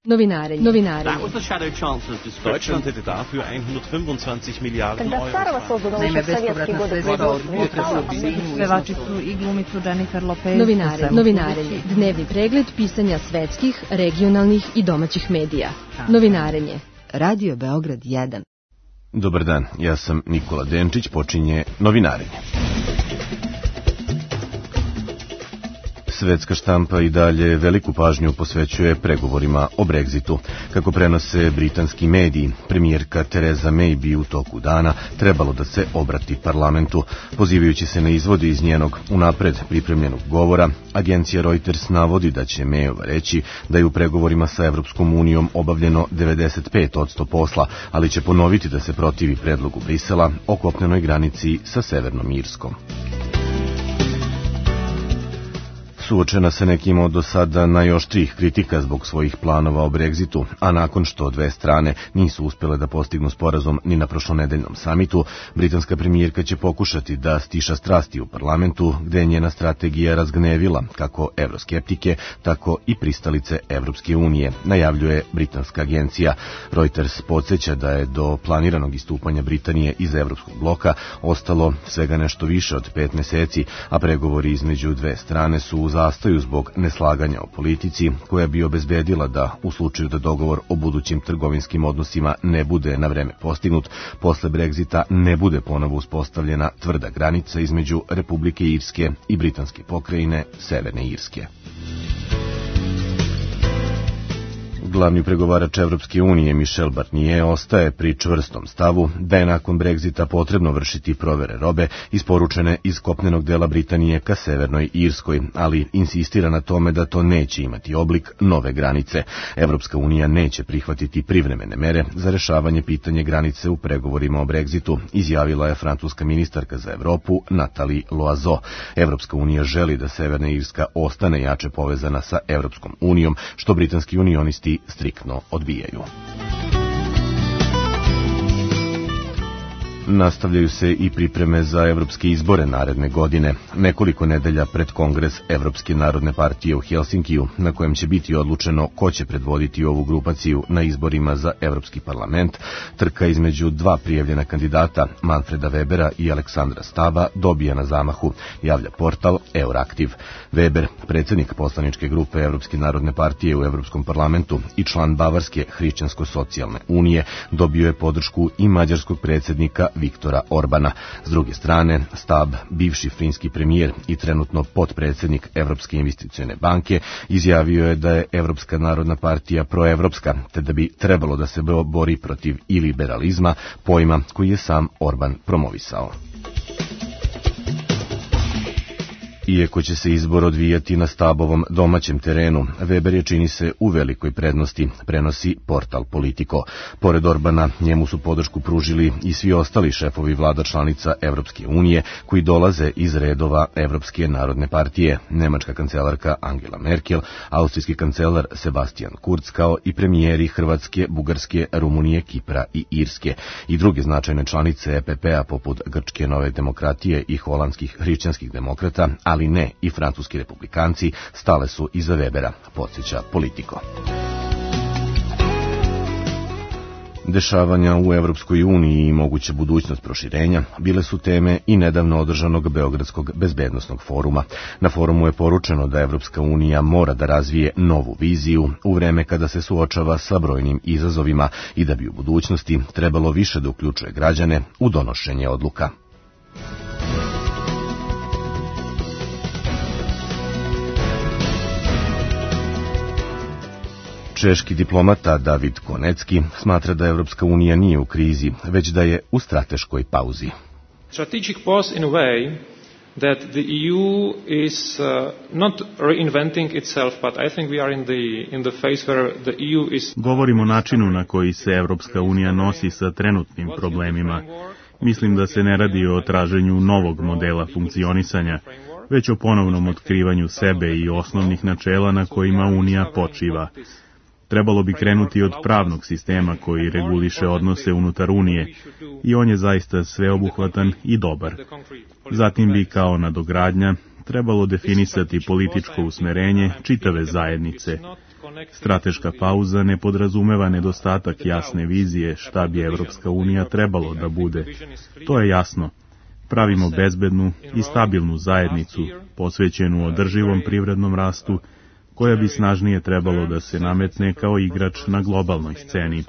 Novinarenje. Deutschland hätte dafür 125 Miliarden Euro. Naime, bespovratna sredstva od pevačicu i glumicu Jennifer Lopez. Novinarenje. Dnevni pregled pisanja svetskih, regionalnih i domaćih medija. Novinarenje. Radio Beograd 1. Dobar dan, ja sam Nikola Denčić, počinje Novinarenje. Svetska štampa i dalje veliku pažnju posvećuje pregovorima o Brexitu. Kako prenose britanski mediji, premijerka Theresa May bi u toku dana trebalo da se obrati parlamentu. Pozivajući se na izvode iz njenog unapred pripremljenog govora, agencija Reuters navodi da će Mayova reći da je u pregovorima sa Evropskom unijom obavljeno 95% posla, ali će ponoviti da se protivi predlogu Brisela o kopnenoj granici sa Severnom Irskom. Suočena se nekim od do sada najoštrijih kritika zbog svojih planova o Brexitu, a nakon što dve strane nisu uspjele da postignu sporazum ni na prošlonedeljnom samitu, britanska premijerka će pokušati da stiša strasti u parlamentu, gde je njena strategija razgnevila kako evroskeptike, tako i pristalice Evropske unije, najavljuje britanska agencija. Reuters podsjeća da je do planiranog istupanja Britanije iz Evropskog bloka ostalo svega nešto više od 5 meseci, a pregovori između dve strane su u zastaju zbog neslaganja o politici, koja bi obezbedila da, u slučaju da dogovor o budućim trgovinskim odnosima ne bude na vreme postignut, posle Brexita ne bude ponovo uspostavljena tvrda granica između Republike Irske i britanske pokrajine Severne Irske. Glavni pregovarač Evropske unije Michel Barnier ostaje pri čvrstom stavu da je nakon Brexita potrebno vršiti provere robe isporučene iz kopnenog dela Britanije ka Severnoj Irskoj, ali insistira na tome da to neće imati oblik nove granice. Evropska unija neće prihvatiti privremene mere za rešavanje pitanja granice u pregovorima o Brexitu, izjavila je francuska ministarka za Evropu Nathalie Loiseau. Evropska unija želi da Severna Irska ostane jače povezana sa Evropskom unijom, što britanski unionisti striktno odbijaju. Nastavljaju se i pripreme za evropske izbore naredne godine. Nekoliko nedelja pred Kongres Evropske narodne partije u Helsinkiju, na kojem će biti odlučeno ko će predvoditi ovu grupaciju na izborima za Evropski parlament, trka između dva prijavljena kandidata, Manfreda Webera i Aleksandra Stava, dobija na zamahu, javlja portal Euraktiv. Weber, predsjednik poslaničke grupe Evropske narodne partije u Evropskom parlamentu i član Bavarske hrišćansko-socijalne unije, dobio je podršku i mađarskog predsjednika Viktora Orbana. S druge strane, Stab, bivši finski premijer i trenutno potpredsjednik Evropske investicione banke, izjavio je da je Evropska narodna partija proevropska, te da bi trebalo da se bori protiv iliberalizma, pojma koji je sam Orban promovisao. Iako će se izbor odvijati na Stabovom domaćem terenu, Weber je, čini se, u velikoj prednosti, prenosi portal Politico. Pored Orbana, njemu su podršku pružili i svi ostali šefovi vlada članica Evropske unije, koji dolaze iz redova Evropske narodne partije, nemačka kancelarka Angela Merkel, austrijski kancelar Sebastian Kurz, kao i premijeri Hrvatske, Bugarske, Rumunije, Kipra i Irske. I druge značajne članice EPP-a, poput Grčke nove demokratije i holandskih hrišćanskih demokrata, ali ne i francuski republikanci, stale su iza Webera, podsjeća Politico. Dešavanja u Evropskoj uniji i moguća budućnost proširenja bile su teme i nedavno održanog Beogradskog bezbednosnog foruma. Na forumu je poručeno da Evropska unija mora da razvije novu viziju u vreme kada se suočava sa brojnim izazovima i da bi u budućnosti trebalo više da uključuje građane u donošenje odluka. Češki diplomata David Konecki smatra da Evropska unija nije u krizi, već da je u strateškoj pauzi. Strategic pause in a way that the EU is not reinventing itself, but I think we are in the phase where the EU is... Govorimo o načinu na koji se Evropska unija nosi sa trenutnim problemima. Mislim da se ne radi o traženju novog modela funkcionisanja, već o ponovnom otkrivanju sebe i osnovnih načela na kojima Unija počiva. Trebalo bi krenuti od pravnog sistema koji reguliše odnose unutar Unije i on je zaista sveobuhvatan i dobar. Zatim bi kao nadogradnja trebalo definisati političko usmerenje čitave zajednice. Strateška pauza ne podrazumeva nedostatak jasne vizije šta bi Evropska unija trebalo da bude. To je jasno. Pravimo bezbednu i stabilnu zajednicu, posvećenu održivom privrednom rastu, koja bi snažnije trebalo da se nametne kao igrač na globalnoj sceni.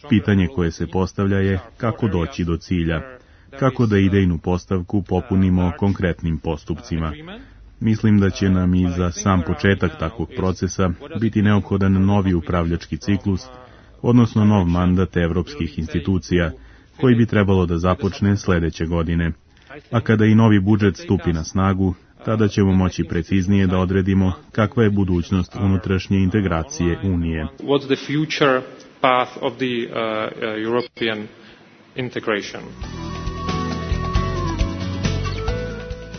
Pitanje koje se postavlja je kako doći do cilja, kako da idejnu postavku popunimo konkretnim postupcima. Mislim da će nam i za sam početak takvog procesa biti neophodan novi upravljački ciklus, odnosno nov mandat evropskih institucija, koji bi trebalo da započne sledeće godine. A kada i novi budžet stupi na snagu, tada ćemo moći preciznije da odredimo kakva je budućnost unutrašnje integracije Unije. What's the future path of the European integration?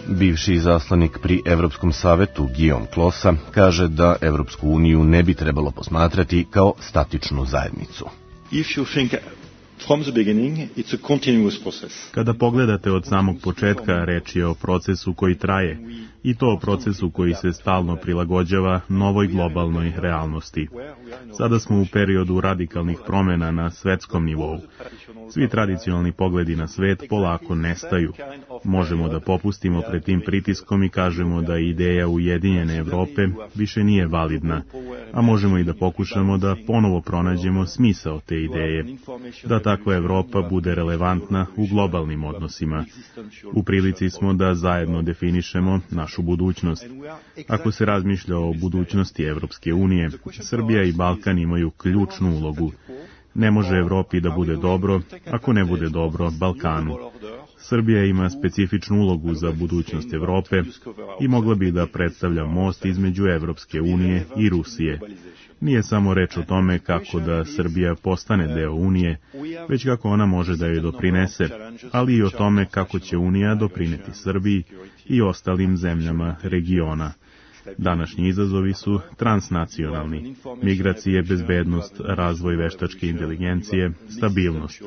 Bivši izaslanik pri Evropskom savetu Guillaume Closa kaže da Evropsku uniju ne bi trebalo posmatrati kao statičnu zajednicu. From the beginning, it's a continuous process. Kada pogledate od samog početka, reč je o procesu koji traje, i to o procesu koji se stalno prilagođava novoj globalnoj realnosti. Sada smo u periodu radikalnih promjena na svetskom nivou. Svi tradicionalni pogledi na svet polako nestaju. Možemo da popustimo pred tim pritiskom i kažemo da ideja Ujedinjene Evrope više nije validna, a možemo i da pokušamo da ponovo pronađemo smisao te ideje, da takva Evropa bude relevantna u globalnim odnosima. U prilici smo da zajedno definišemo našu budućnost. Ako se razmišlja o budućnosti Evropske unije, Srbija i Balkan imaju ključnu ulogu. Ne može Evropi da bude dobro ako ne bude dobro Balkanu. Srbija ima specifičnu ulogu za budućnost Evrope i mogla bi da predstavlja most između Evropske unije i Rusije. Nije samo reč o tome kako da Srbija postane deo Unije, već kako ona može da joj doprinese, ali i o tome kako će Unija doprineti Srbiji i ostalim zemljama regiona. Današnji izazovi su transnacionalni. Migracije, bezbednost, razvoj veštačke inteligencije, stabilnost.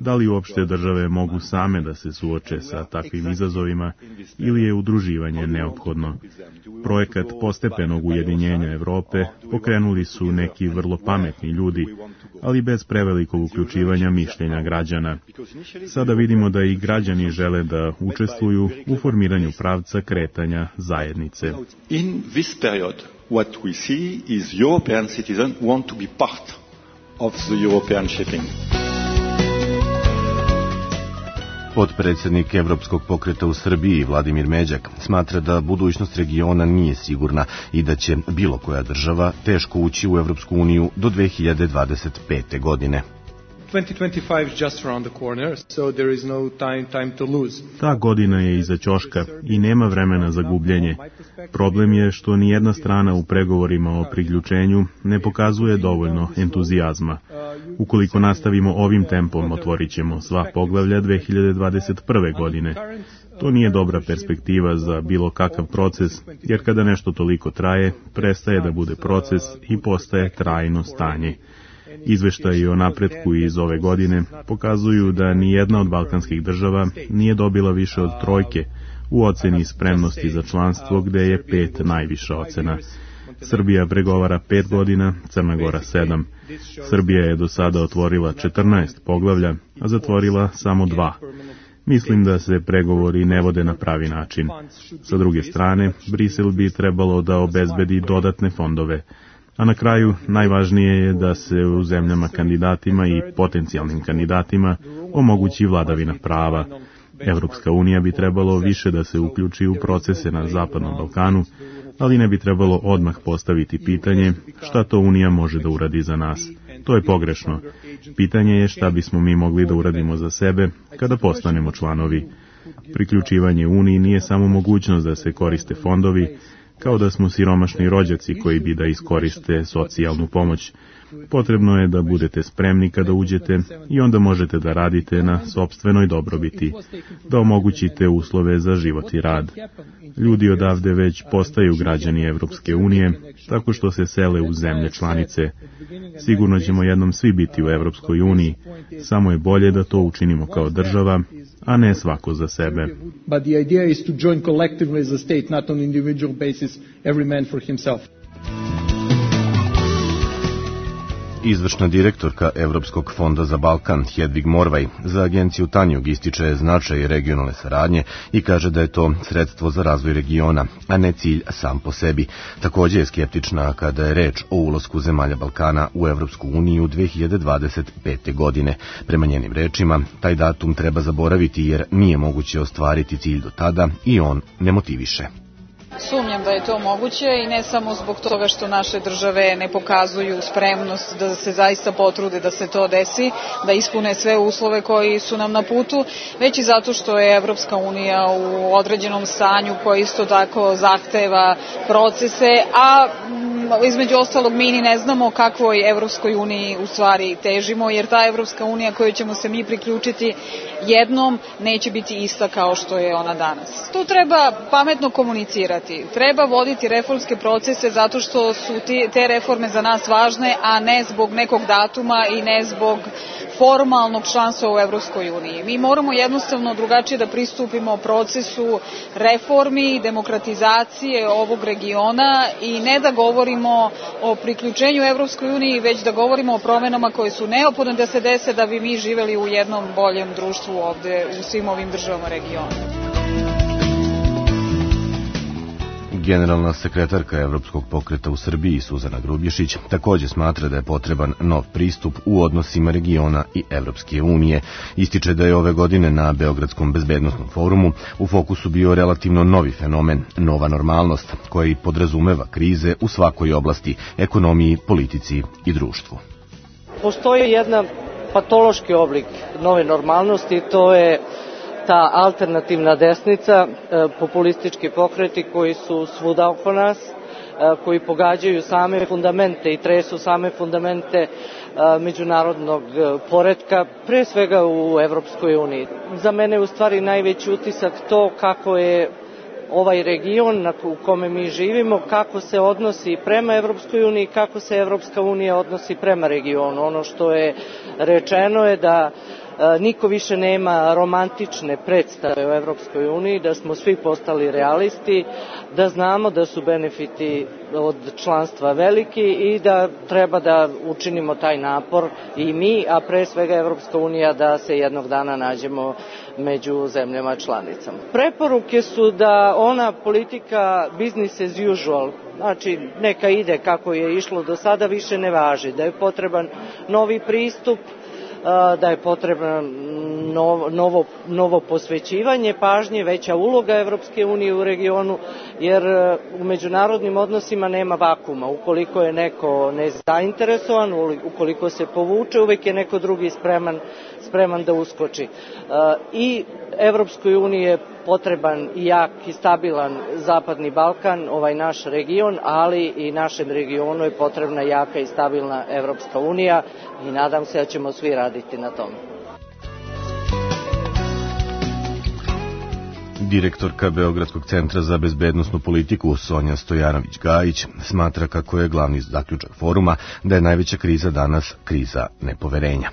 Da li uopšte države mogu same da se suoče sa takvim izazovima ili je udruživanje neophodno? Projekat postepenog ujedinjenja Evrope pokrenuli su neki vrlo pametni ljudi, ali bez prevelikog uključivanja mišljenja građana. Sada vidimo da i građani žele da učestvuju u formiranju pravca kretanja zajednice. In this period, what we see is European citizens want to be part of the European shaping. Potpredsjednik Evropskog pokreta u Srbiji, Vladimir Međak, smatra da budućnost regiona nije sigurna i da će bilo koja država teško ući u Evropsku uniju do 2025. godine. 2025 is just around the corner, so there is no time to lose. Ta godina je iza ćoška i nema vremena za gubljenje. Problem je što ni jedna strana u pregovorima o priključenju ne pokazuje dovoljno entuzijazma. Ukoliko nastavimo ovim tempom, otvorit ćemo sva poglavlja 2021. godine. To nije dobra perspektiva za bilo kakav proces, jer kada nešto toliko traje, prestaje da bude proces i postaje trajno stanje. Izveštaji o napretku iz ove godine pokazuju da ni jedna od balkanskih država nije dobila više od 3 u oceni spremnosti za članstvo, gde je 5 najviša ocena. Srbija pregovara 5 godina, Crna Gora 7. Srbija je do sada otvorila 14 poglavlja, a zatvorila samo 2. Mislim da se pregovori ne vode na pravi način. Sa druge strane, Brisel bi trebalo da obezbedi dodatne fondove. A na kraju, najvažnije je da se u zemljama kandidatima i potencijalnim kandidatima omogući vladavina prava. Evropska unija bi trebalo više da se uključi u procese na Zapadnom Balkanu, ali ne bi trebalo odmah postaviti pitanje šta to Unija može da uradi za nas. To je pogrešno. Pitanje je šta bismo mi mogli da uradimo za sebe kada postanemo članovi. Priključivanje Uniji nije samo mogućnost da se koriste fondovi, kao da smo siromašni rođaci koji bi da iskoriste socijalnu pomoć. Potrebno je da budete spremni kada uđete i onda možete da radite na sopstvenoj dobrobiti, da omogućite uslove za život i rad. Ljudi odavde već postaju građani Evropske unije, tako što se sele u zemlje članice. Sigurno ćemo jednom svi biti u Evropskoj uniji, samo je bolje da to učinimo kao država, a ne svako za sebe. But the idea is to join collectively as a state, not on individual basis, every man for himself. Izvršna direktorka Evropskog fonda za Balkan Hedvig Morvaj za agenciju Tanjug ističe značaj regionalne saradnje i kaže da je to sredstvo za razvoj regiona, a ne cilj sam po sebi. Također je skeptična kada je reč o ulasku zemalja Balkana u Evropsku uniju 2025. godine. Prema njenim rečima, taj datum treba zaboraviti jer nije moguće ostvariti cilj do tada i on ne motiviše. Sumnjam da je to moguće i ne samo zbog toga što naše države ne pokazuju spremnost da se zaista potrude da se to desi, da ispune sve uslove koji su nam na putu, već i zato što je Evropska unija u određenom stanju koji isto tako zahteva procese, a između ostalog mi ni ne znamo kakvoj Evropskoj uniji u stvari težimo, jer ta Evropska unija kojoj ćemo se mi priključiti jednom neće biti ista kao što je ona danas. Tu treba pametno komunicirati. Treba voditi reformske procese zato što su te reforme za nas važne, a ne zbog nekog datuma i ne zbog formalnog članstva u Evropskoj uniji. Mi moramo jednostavno drugačije da pristupimo procesu reformi i demokratizacije ovog regiona i ne da govorimo o priključenju Evropskoj uniji, već da govorimo o promenama koje su neophodne da se dese da bi mi živeli u jednom boljem društvu ovde u svim ovim državama regiona. Generalna sekretarka Evropskog pokreta u Srbiji Suzana Grubješić također smatra da je potreban nov pristup u odnosima regiona i Evropske unije. Ističe da je ove godine na Beogradskom bezbednosnom forumu u fokusu bio relativno novi fenomen, nova normalnost, koja i podrazumeva krize u svakoj oblasti, ekonomiji, politici i društvu. Postoji jedan patološki oblik nove normalnosti, to je ta alternativna desnica, populistički pokreti koji su svuda oko nas, koji pogađaju same fundamente i tresu same fundamente međunarodnog poretka, pre svega u Evropskoj uniji. Za mene je u stvari najveći utisak to kako je ovaj region u kome mi živimo, kako se odnosi prema Evropskoj uniji, kako se Evropska unija odnosi prema regionu. Ono što je rečeno je da niko više nema romantične predstave o Evropskoj uniji, da smo svi postali realisti, da znamo da su benefiti od članstva veliki i da treba da učinimo taj napor i mi, a pre svega Evropska unija, da se jednog dana nađemo među zemljama članicama. Preporuke su da ona politika business as usual, znači neka ide kako je išlo do sada, više ne važi, da je potreban novi pristup, da je potrebno novo posvećivanje pažnje, veća uloga Evropske unije u regionu, jer u međunarodnim odnosima nema vakuma. Ukoliko je neko nezainteresovan, ukoliko se povuče, uvek je neko drugi spreman da uskoči. I Evropskoj uniji je potreban i jak i stabilan Zapadni Balkan, ovaj naš region, ali i našem regionu je potrebna jaka i stabilna Evropska unija i nadam se da ćemo svi raditi na tome. Direktorka Beogradskog centra za bezbednosnu politiku Sonja Stojanović-Gajić smatra kako je glavni zaključak foruma da je najveća kriza danas kriza nepoverenja.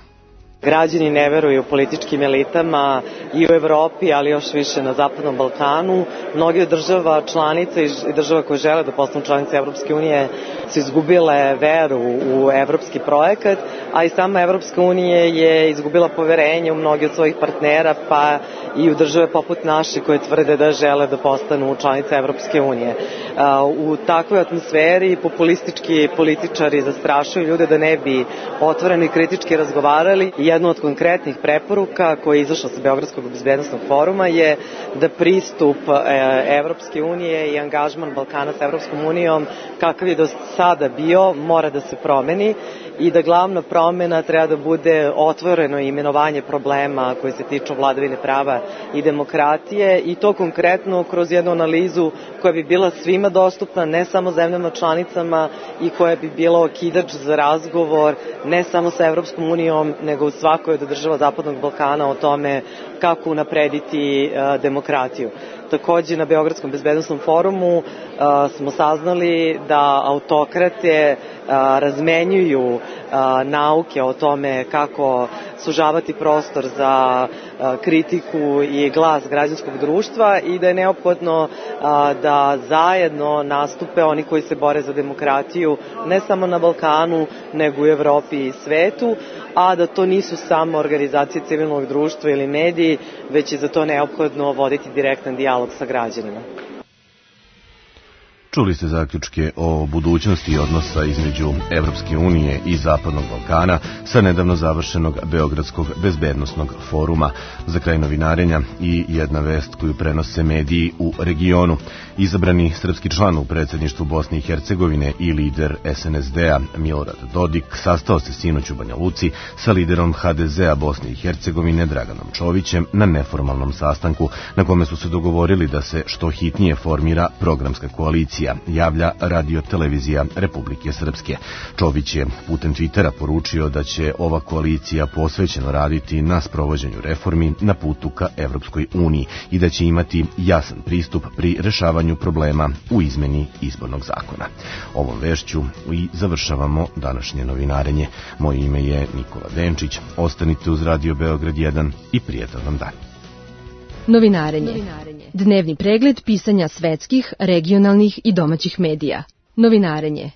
Građani ne veruju političkim elitama i u Evropi, ali još više na Zapadnom Balkanu. Mnoge država članica i država koje žele da postanu članice Evropske unije su izgubile veru u evropski projekat, a i sama Evropska unija je izgubila poverenje u mnogi od svojih partnera, pa i u države poput naše koje tvrde da žele da postanu članice Evropske unije. U takvoj atmosferi populistički političari zastrašuju ljude da ne bi otvoreno i kritički razgovarali. Jedna od konkretnih preporuka koja je izašla sa Beogradskog bezbednosnog foruma je da pristup Evropske unije i angažman Balkana sa Evropskom unijom kakav je do sada bio mora da se promeni i da glavna promena treba da bude otvoreno imenovanje problema koji se tiču vladavine prava i demokratije i to konkretno kroz jednu analizu koja bi bila svima dostupna, ne samo zemljama članicama i koja bi bila okidač za razgovor ne samo sa Evropskom unijom nego u svakoj od država Zapadnog Balkana o tome kako unaprediti demokratiju. Takođe na Beogradskom bezbednosnom forumu smo saznali da autokrate razmenjuju nauke o tome kako sužavati prostor za kritiku i glas građanskog društva i da je neophodno da zajedno nastupe oni koji se bore za demokratiju ne samo na Balkanu, nego u Evropi i svetu, a da to nisu samo organizacije civilnog društva ili mediji, već je za to neophodno voditi direktan dijalog sa građanima. Čuli ste zaključke o budućnosti odnosa između Evropske unije i Zapadnog Balkana sa nedavno završenog Beogradskog bezbednosnog foruma. Za kraj novinarenja i jedna vest koju prenose mediji u regionu. Izabrani srpski član u predsjedništvu Bosne i Hercegovine i lider SNSD-a Milorad Dodik sastao se sinoć u Banja Luci sa liderom HDZ-a Bosne i Hercegovine Draganom Čovićem na neformalnom sastanku na kome su se dogovorili da se što hitnije formira programska koalicija, javlja Radio-televizija Republike Srpske. Čović je putem Twittera poručio da će ova koalicija posvećeno raditi na sprovođenju reformi na putu ka Evropskoj uniji i da će imati jasan pristup pri rešavanju problema u izmeni izbornog zakona. Ovom vešću i završavamo današnje novinarenje. Moje ime je Nikola Denčić. Ostanite uz Radio Beograd 1 i prijatan vam dan. Novinarenje. Dnevni pregled pisanja svetskih, regionalnih i domaćih medija. Novinarenje.